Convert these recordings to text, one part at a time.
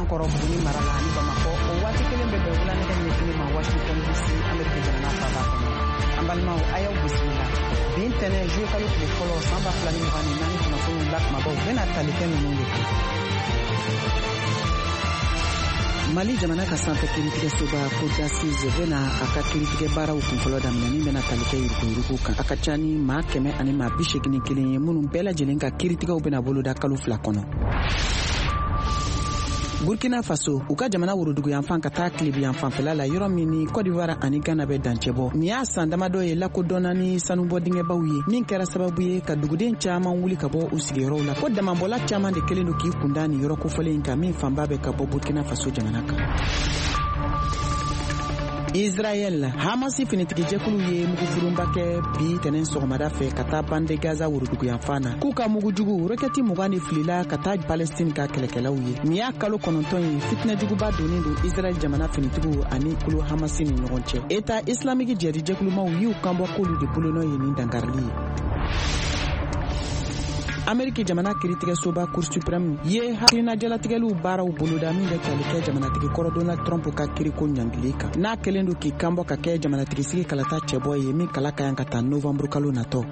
kɔrɔ Buguni mara la ani Bamakɔ. O waati kelen bɛ bɛn wula nɛgɛ ɲɛ kelen ma Washington DC, Ameriki jamana faaba kɔnɔ. An balimaw, a y'aw bisimila. Bi ntɛnɛn, juillet kalo tile fɔlɔ, san 2024, kunnafoniw la kumabaw bɛna tali kɛ ninnu de kan. Mali jamana ka sanfɛ kiiritigɛsoba, Cour d'assises, bɛna a ka kiiritigɛ baaraw kunfɔlɔ daminɛ min bɛna tali kɛ yuruguyurugu kan. A ka ca ni maa 181 ye minnu bɛɛ lajɛlen ka kiiritigɛw bɛna boloda kalo 2 kɔnɔ. Burkina Faso, u ka jamana woroduguyanfan ka taa tilebiyanfanfɛla la, yɔrɔ min ni Cote d'Ivoire ani Ghana bɛ dancɛ bɔ, nin y'a san damadɔ ye lakodɔnna ni sanubɔ dingɛbaw ye min kɛra sababu ye ka duguden caman wuli ka bɔ u sigiyɔrɔw la, ko damabɔla caman de kɛlen don k'i kunda nin yɔrɔ kofɔlen in kan, min fanba bɛ ka bɔ Burkina Faso jamana kan. Israɛl, Hamasi finitigijɛkulu ye mugufurunba kɛ bi tɛnɛn sɔgɔmada fɛ ka taa bande Gaza woroduguyanfan na, k'u ka mugujugu rokɛti 20 de filila ka taa Palestine ka kɛlɛkɛlaw ye. Nin y'a kalo 9 ye fitinɛjuguba donnen don Israɛl jamana finitigiw ani kulu Hamasi ni ɲɔgɔn cɛ. État islamique jɛrijɛkulumaw y'u kanbɔ k'olu de bolonɔ ye nin dankarili ye. Ameriki jamana kiritigɛsoba, Cour suprême, ye hakilina jalatigɛliw baaraw boloda min bɛ tali kɛ jamanatigi kɔrɔ Donald Trump ka kiriko ɲangili kan, n'a kɛlen don k'i kanbɔ ka kɛ jamanatigisigi kalata cɛbɔ ye, min kala ka yan ka taa novanburu kalo natɔ.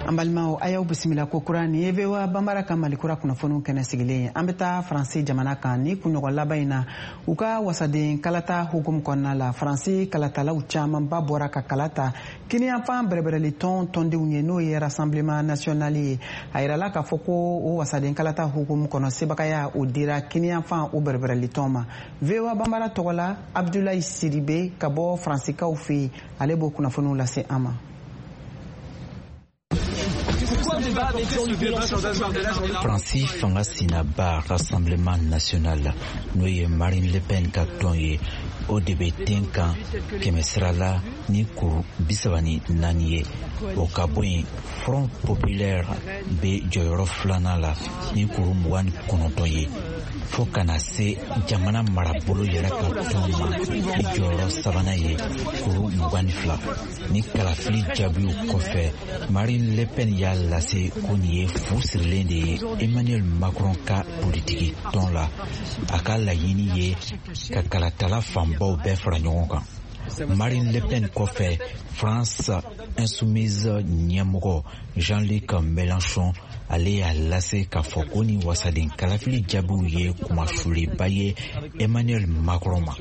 An balimaw, a y'aw bisimila ko kura. Nin ye VOA Banbara ka Mali kura kunnafoniw kɛnɛ sigilen ye. An bɛ taa Faransi jamana kan. Ni kunɲɔgɔn laban in na, u ka wasaden kalata hukumu kɔnɔna la, Faransi kalatalaw camanba bɔra ka kala ta kiniyanfan bɛrɛbɛrɛli tɔn tɔndenw ye, n'o ye Rassemblement national ye. A yirala k'a fɔ ko o wasaden kalata hukumu kɔnɔ, sebagaya o dira kiniyanfan o bɛrɛbɛrɛli tɔn ma. VOA Banbara tɔgɔ la, Abdulayi Sidibe ka bɔ Faransikaw fɛ yen, ale b'o kunnafoniw lase an ma. Faransi fanga sinaba Rassemblement national, n'o ye Marine Le Pen ka tɔn ye, o de bɛ ten kan kɛmɛsira la ni kuru 34 ye. O ka bɔ yen, Front populaire bɛ jɔyɔrɔ filanan la ni kuru 29 ye, fo ka na se jamana marabolo yɛrɛ ka tɔn ma ni jɔyɔrɔ sabanan ye, kuru 22. Ni kalafili jaabiw kɔfɛ, Marine Le Pen y'a lase ko nin ye fu sirilen de ye Emmanuel Macron ka politiki tɔn la. A ka laɲini ye ka kalatala fanbaw bɛɛ fara ɲɔgɔn kan. Marine Le Pen kɔfɛ, France Insoumise ɲɛmɔgɔ Jean-Luc Mélenchon, ale y'a lase k'a fɔ ko ni wasaden kalafili jaabiw ye kumasulenba ye Emmanuel Macron ma.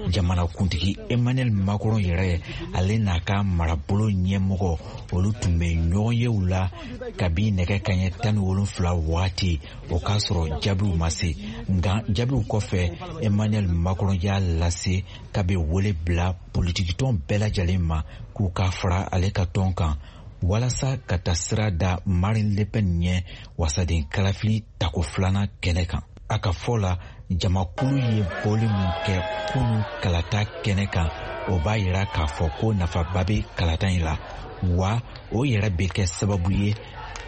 Jamanakuntigi Emmanuel Macron yɛrɛ, ale n'a ka marabolo ɲɛmɔgɔ, olu tun bɛ ɲɔgɔnyew la kabi nɛgɛ kaɲɛ 17 waati, o k'a sɔrɔ jaabiw ma se. Nka jaabiw kɔfɛ, Emmanuel Macron y'a lase k'a bɛ wele bila politikitɔn bɛɛ lajɛlen ma k'u ka fara ale ka tɔn kan walasa ka taa sira da Marine Le Pen ɲɛ wasaden kalafili tako filanan kɛnɛ kan. A ka fɔ la, jamakulu ye bɔli min kɛ kunu kalata kɛnɛ kan, o b'a yira k'a fɔ ko nafaba bɛ kalata in la, wa o yɛrɛ bɛ kɛ sababu ye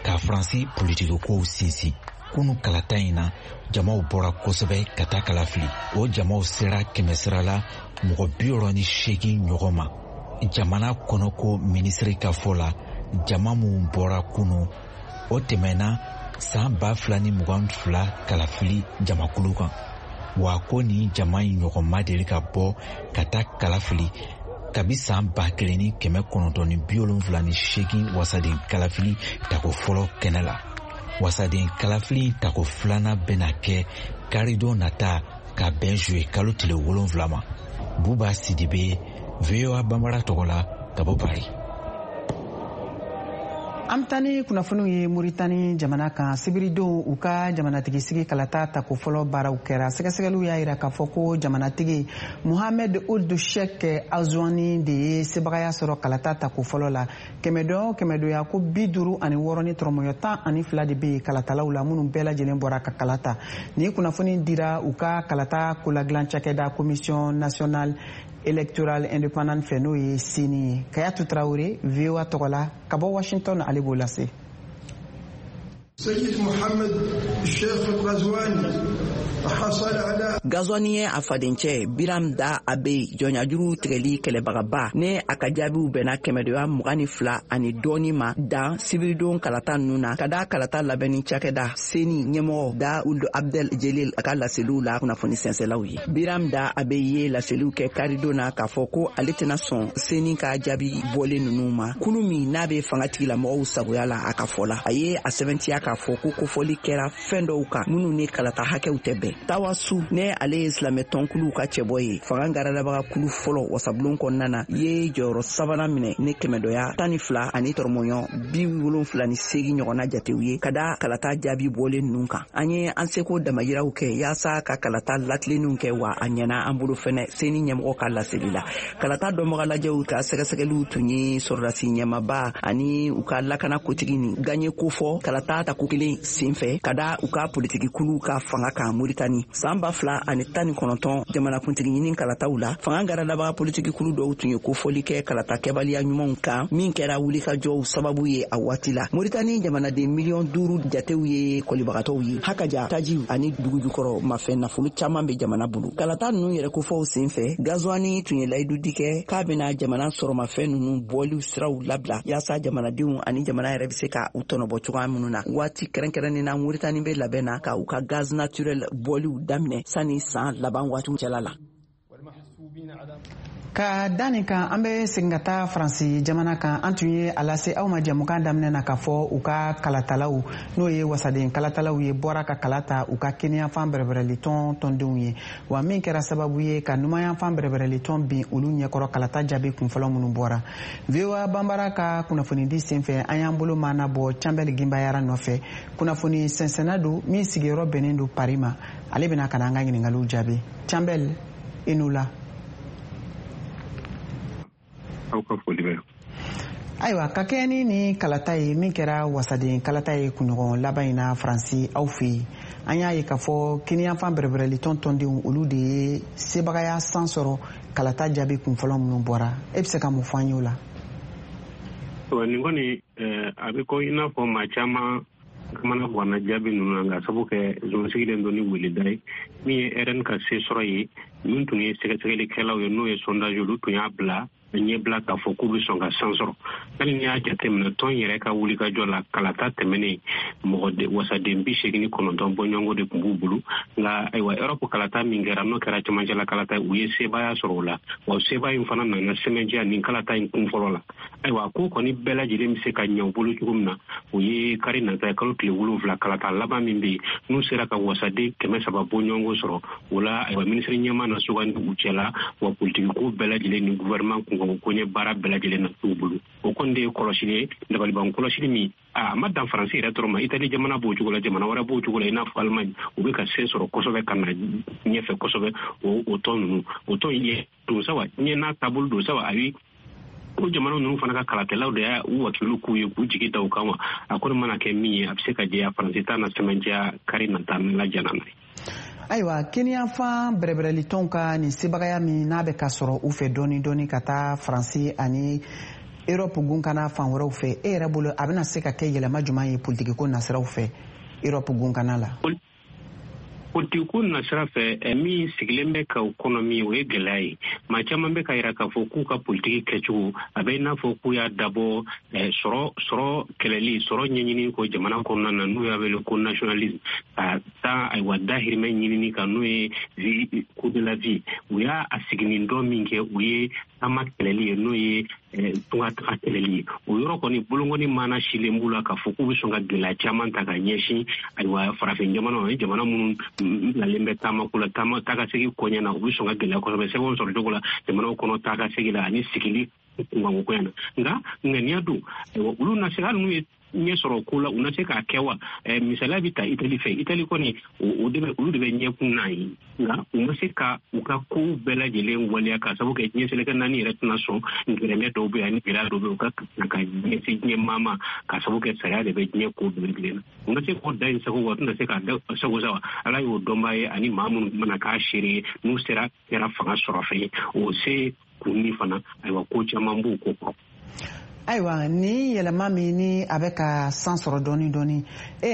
ka Faransi politikikow sinsin. Kunu kalata in na, jamaw bɔra kosɛbɛ ka taa kala fili. O jamaw sera kɛmɛsira la mɔgɔ 68 ɲɔgɔn ma. Jamana kɔnɔko minisiri ka fɔ la, jama minw bɔra kunu, o tɛmɛna san 2022 kalafili jamakulu kan, wa ko nin jama in ɲɔgɔn ma deli ka bɔ ka taa kalafili kabi san 1978 wasaden kalafili tako fɔlɔ kɛnɛ la. Wasaden kalafili tako filanan bɛna kɛ karidon nata ka bɛn juye kalo tile 7 ma. Buba Sidibe, VOA Banbara tɔgɔ la, ka bɔ Paris. An bɛ taa ni kunnafoniw ye Moritani jamana kan. Sibiridon, u ka jamanatigisigi kalata tako fɔlɔ baaraw kɛra. Sɛgɛsɛgɛliw y'a yira k'a fɔ ko jamanatigi Mohamed Ould Cheikh Ghazouani de ye sebagaya sɔrɔ kalata tako fɔlɔ la. Kɛmɛdɔn kɛmɛdonya ko 56 ni tɔrɔmɔɲɔ 12 de bɛ yen kalatalaw la minnu bɛɛ lajɛlen bɔra ka kala ta. Nin kunnafoni dira u ka kalata koladilan cakɛda, Commission nationale électorale indépendante fɛ, n'o ye CENI ye. Kayatu Tarawele, VOA tɔgɔ la ka bɔ Washington, ale b'o lase. Gazwani ye a fadencɛ Biram Dah Abeid jɔnyajuru tigɛli kɛlɛbagaba ne a ka jaabiw bɛnna kɛmɛdoya 22 ani dɔɔni ma dan sibiridon kalata ninnu na, ka da kalata labɛnni cakɛda CENI ɲɛmɔgɔ Dah Ould Abdel Jelil a ka laseliw la kunnafoni sɛnsɛlaw ye. Biram Dah Abeid ye laseliw kɛ karidon na k'a fɔ ko ale tɛna sɔn CENI ka jaabi bɔlen ninnu ma, kulu min n'a bɛ fanga tigilamɔgɔw sagoya la. A ka fɔ la, a ye a sɛbɛntiya k'a fɔ ko kofɔli kɛra fɛn dɔw kan minnu ni kalata hakɛw tɛ bɛn. Tawasu ne ale ye silamɛ tɔnkuluw ka cɛbɔ ye, fanga garadabaga kulu fɔlɔ wasabulon kɔnɔna na, ye jɔyɔrɔ sabanan minɛ ni kɛmɛdɔya 12 ani tɔrɔmɔɲɔ 78 ɲɔgɔnna jatew ye, ka da kalata jaabi bɔlen ninnu kan. An ye an seko damayiraw kɛ yaasa ka kalata latilennenw kɛ, wa a ɲɛna an bolo fɛnɛ, CENI ɲɛmɔgɔ ka laseli la. Kalata dɔnbaga lajɛw ka sɛgɛsɛgɛliw tun ye sɔrɔdasi ɲɛmaba ani u ka lakana kotigi ni gaɲe kofɔ kalata tako kelen senfɛ, ka da u ka politiki kuluw ka fanga kan Moritani san 2019 jamanakuntigi ɲini kalataw la. Fanga garadabaga politiki kulu dɔw tun ye kofɔli kɛ kalata kɛbaliya ɲumanw kan, min kɛra wulikajɔw sababu ye a waati la. Moritani jamanaden miliyɔn 5 jatew ye kɔlibagatɔw ye. Hakaja tajiw ani dugujukɔrɔ mafɛn nafolo caman bɛ jamana bolo. Kalata ninnu yɛrɛ kofɔw sen fɛ, Gazwani tun ye layidu di kɛ k'a bɛna jamana sɔrɔmafɛn ninnu bɔliw siraw labila, yaasa jamanadenw ani jamana yɛrɛ bɛ se ka u tɔnɔbɔ cogoya minnu na. Waati kɛrɛnkɛrɛnnen na, Moritani bɛ labɛn na ka u ka gaz naturel bɔliw daminɛ sanni san laban waatiw cɛla la. Ka da nin kan, an bɛ segin ka taa Faransi jamana kan. An tun ye a lase aw ma jɛmukan daminɛ na k'a fɔ u ka kalatalaw, n'o ye wasaden kalatalaw ye, bɔra ka kala ta u ka kiniyanfan bɛrɛbɛrɛli tɔn tɔndenw ye, wa min kɛra sababu ye ka numayanfan bɛrɛbɛrɛli tɔn bin olu ɲɛkɔrɔ kalata jaabi kunfɔlɔ minnu bɔra. VOA Banbara ka kunnafonidi senfɛ, an y'an bolo maana bɔ Canbɛli Ginbayara nɔfɛ, kunnafoni sɛnsɛnna don min sigiyɔrɔ bɛnnen don Paris ma. Ale bɛna ka na an ka ɲiningaliw jaabi. Canbɛli, i n'u la. Aw ka foli bɛ. Ayiwa, ka kɛɲɛ ni ni kalata ye min kɛra wasaden kalata ye kunɲɔgɔn laban in na Faransi, aw fɛ yen, an y'a ye k'a fɔ kiniyanfan bɛrɛbɛrɛli tɔn tɔndenw, olu de ye sebagaya san sɔrɔ kalata jaabi kunfɔlɔ minnu bɔra. E bɛ se ka mun fɔ an ye o la? Nin kɔni, a bɛ ko i n'a fɔ maa caman kamana ganna jaabi ninnu na, nka sabu kɛ zon sigilen don ni weleda ye min ye RN ka se sɔrɔ ye. Min tun ye sɛgɛsɛgɛlikɛlaw ye, n'o ye sondage, olu tun y'a bila ɲɛbila k'a fɔ k'u bɛ sɔn ka san sɔrɔ. Hali n'i y'a jateminɛ tɔn yɛrɛ ka wulikajɔ la, kalata tɛmɛnen, mɔgɔ wasaden 89 bɔɲɔgɔnko de tun b'u bolo. Nka ayiwa, Europe kalata min kɛra, n'o kɛra cɛmancɛla kalata, u ye sebaaya sɔrɔ o la, wa sebaaya in fana nana sɛmɛntiya nin kalata in kun fɔlɔ la. Ayiwa, ko kɔni bɛɛ lajɛlen bɛ se ka ɲɛ u bolo cogo min na, o ye kari nata ye, kalo tile 7, kalata laban min bɛ yen, n'u sera ka wasaden 300 bɔɲɔgɔnko sɔrɔ o la, ayiwa, minisiri ɲɛmaa na sugandi u cɛla, wa politiki ko bɛɛ lajɛlen ni gouvernement kunkanko koɲɛ baara bɛɛ lajɛlen na t'u bolo. O kɔni de ye kɔlɔsili ye, dabaliban kɔlɔsili min a ma dan Faransi yɛrɛ dɔrɔn ma. Itali jamana b'o cogo la, jamana wɛrɛ b'o cogo la, i n'a fɔ Allemagne, u bɛ ka se sɔrɔ kosɛbɛ ka na ɲɛfɛ kosɛbɛ. O tɔn ninnu, o tɔn ye don sawa, diɲɛ n'a taabolo don sawa. Ayi, o jamana ninnu fana ka kalakɛlaw de y'a u wakilu k'u ye k'u jigi da u kan wa. A kɔni mana kɛ min ye, a bɛ se ka jɛya Faransi ta na sɛmɛntiya kari nata n'Ala jɛna n'a ye. Ayiwa, kiniyanfan bɛrɛbɛrɛlitɔnw ka nin sebagaya min n'a bɛ ka sɔrɔ u fɛ dɔɔni dɔɔni ka taa Faransi ani Europe gunkana fan wɛrɛw fɛ, e yɛrɛ bolo, a bɛna se ka kɛ yɛlɛma jumɛn ye politikiko nasiraw fɛ Europe gunkana la? Politikiko nasira fɛ, min sigilen bɛ ka u kɔnɔ min, o ye gɛlɛya ye. Maa caman bɛ ka yira k'a fɔ k'u ka politiki kɛcogo a bɛ i n'a fɔ k'u y'a dabɔ sɔrɔ kɛlɛli, sɔrɔ ɲɛɲini ko jamana kɔnɔna na, n'u y'a wele ko nationalisme, ka taa ayiwa dahirimɛ ɲinini kan, n'o ye coût de la vie. U y'a a siginin dɔ min kɛ, o ye taama kɛlɛli ye, n'o ye tunga taga kɛlɛli ye. O yɔrɔ kɔni, bolonkɔni mana silen b'u la k'a fɔ k'u bɛ sɔn ka gɛlɛya caman ta ka ɲɛsin ayiwa farafin jamanaw ye, jamana minnu bilalen bɛ taama ko la, taama taa ka segin kɔɲɛ na. U bɛ sɔn ka gɛlɛya kosɛbɛ sɛbɛnw sɔrɔ cogo la jamanaw kɔnɔ, taa ka segin la ani sigili kunkanko koɲɛ na. Nka ŋaniya don, ayiwa, olu na se, hali n'u ye ɲɛ sɔrɔ ko la, u na se k'a kɛ wa? Misaliya bɛ ta Itali fɛ. Itali kɔni, o de bɛ, olu de bɛ ɲɛkun n'a ye, nka u ma se ka u ka kow bɛɛ lajɛlen waleya, k'a sababu kɛ diɲɛ seleke naani yɛrɛ tɛna sɔn. Gɛrɛmɛ dɔw bɛ yen ani gɛlɛya dɔw bɛ yen, u ka ka ɲɛsin diɲɛ maa ma, k'a sababu kɛ sariya de bɛ diɲɛ ko bɛɛ lajɛlen na. U ma se k'o da in sago wa, u tɛna se k'a da sago sa wa. Ala y'o dɔnbaa ye, ani maa minnu mana k'a seere ye, n'u sera kɛra fanga sɔrɔ fɛn ye, o se kunni fana, ayiwa, ko caman b'o ko kɔrɔ. Ayiwa, ni yɛlɛma min ni a bɛ ka san sɔrɔ dɔɔni dɔɔni, e yɛrɛ